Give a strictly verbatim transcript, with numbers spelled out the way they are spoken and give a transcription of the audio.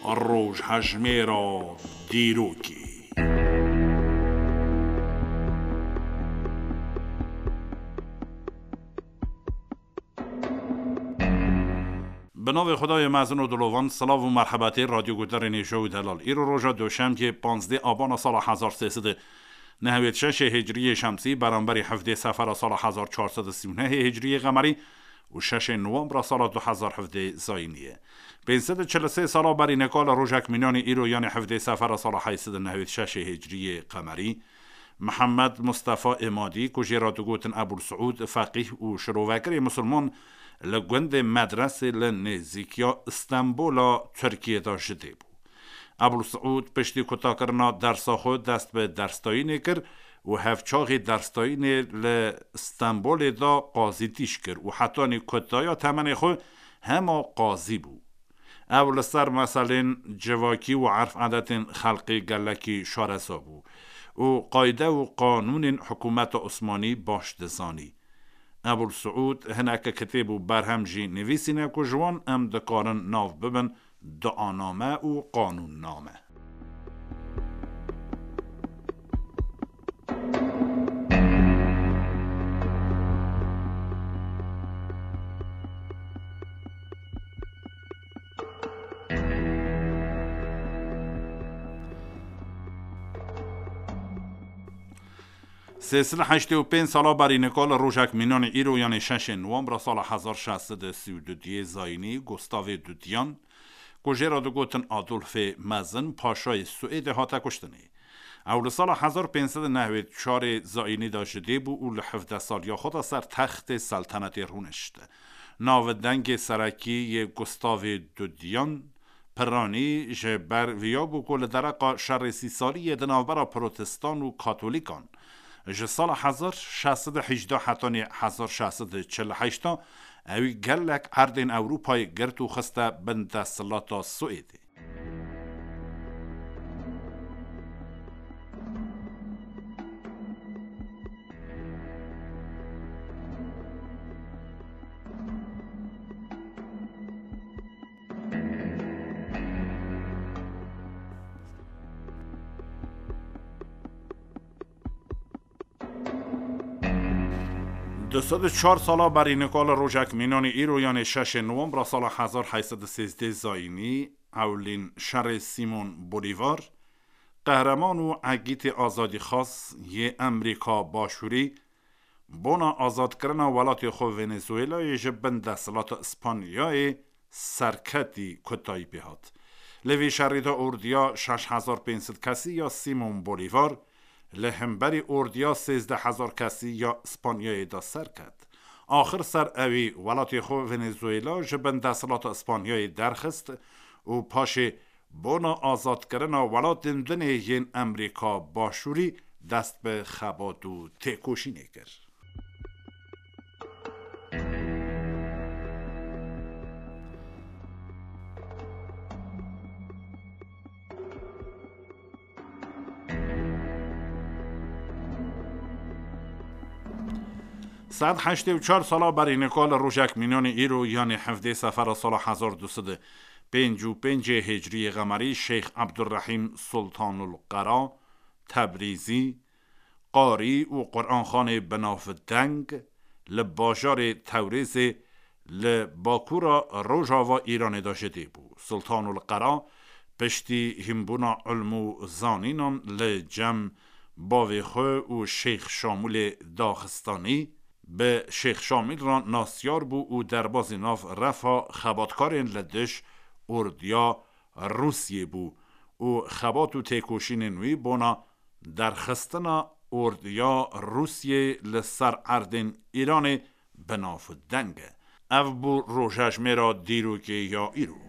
Rojhejmêra dîrokê. Bi navê Xwedayê mezin û dilovan, silav û merhebetê radyo guhdarên hêja û delal. Îro roja doşemkê, panzdeh abana sala hezar sê sed û nehwêd şeşê hicriyê şemsî, beramberî hevdê sefera sala hezar çar sed û sî û nehê hicriyê qemerî û şeşê nowembra sala du hezar hevdeh zayînî ye. Pênc sed û çil û sê sala berî nika li rojek mînanê îro, yanê hevdê sefera sala heyt sed û nehwêd şeşê hicriyê qemerî, Mihemed Mustefa Îmadî, ku jê re digotin Ebûl Siûd, feqîh û şirovekirê misilman, li gundê Medresê li nêzîkiya Stenbola Tirkiyê de ji dê bû. Ebûl Siûd piştî kutakirina dersa xwe dest bi dersdayînê kir û hevçaxê dersdayînê li Stenbolê de qazîtîş kir û hetanî kutaya temenê xwe hema qazî bû. Ew li ser meselên civakî û erf edetên xelkê gelekî şareza bû û qayde û qanûnên hikûmeta Osmanî baş dizanî. Ebûl Siûd hineke kitêb û berhem jî nivîsîne ku ji wan em dikarin nav bibin duaname û qanûnname. Sê sed û heştê û pênc sala berî nika li rojek mînanê îro, yanê şeşê nowembra sala hezar şeş sed û sî û duyê zayînî, Gustavê Dudiyan, ku jê re digotin Adolfê Mezin, paşayê Swêdê hate kuştinê. Ew li sala hezar pênc sed û nehwêd çarê zayînî de ji dê bû û li hevdeh saliya xwe de ser textê seltenetê rûnişt. Nav û dengê serekî yê Gustavê Dudiyan, Piranî ji ber viya bû ku li dereqa şerê sî salî yê di navbera protestan û katolîkan, ji sala hezar şeş sed û hejdeh hetanî hezar şeş sed û çil û heşt, ewî gelek erdên Ewropayê girt û xiste bin desthilata Swêdê. Du sed û çar sala berî nika li rojek mînanê îro, yanê şeşê nowembra sala hezar heyt sed û sêzdeh zayînî, ewlîn şerê Simon Bolîvar, qehreman û egîtê azadîxwaz yê Emerîka Başûrî, bona azadkirina welatê xwe Venezuelayê ji bin desthilata Îspanyayê serketî kutayî pê hat. Li vî şerî de ordiya şeş hezar pênc sed kesî ya Simon Bolîvar li hemberî ordiya sêzdeh hezar kesî ya Îspanyayê de serket. Axir ser ewî welatê xwe Venezuela ji bin desthilata Îspanyayê derxist û paşê bona azadkirina welatên dinê yên Emerîka Başûrî dest bi xebat û têkoşînê kir. Sed heştê û çar sala berî nika li rojek mînanê îro, yanê hevdê sefera sala hezar du sed û pênc û pêncê hicriyê qemerî, Şeyx Ebdurrehîm Sultanul Qera Tebrîzî, qarî û Quranxanê binavdeng, li bajarê Tewrêzê li bakûra rojava Îranê de ji dê bû. Sultanul Qera piştî hînbûna ilm û zanînan li cem bavê xwe û Şeyx Şamûlê Daxistanî, bi Şeyx Şamîl re nasyar bû û derbazî nav refa xebatkarên li dij ordiya Rûsiyê bû û xebat û têkoşînên wî bona derxistina ordiya Rûsiyê li ser erdên Îranê binavdeng e. Ev bû rojhejmêra dîrokê ya îro.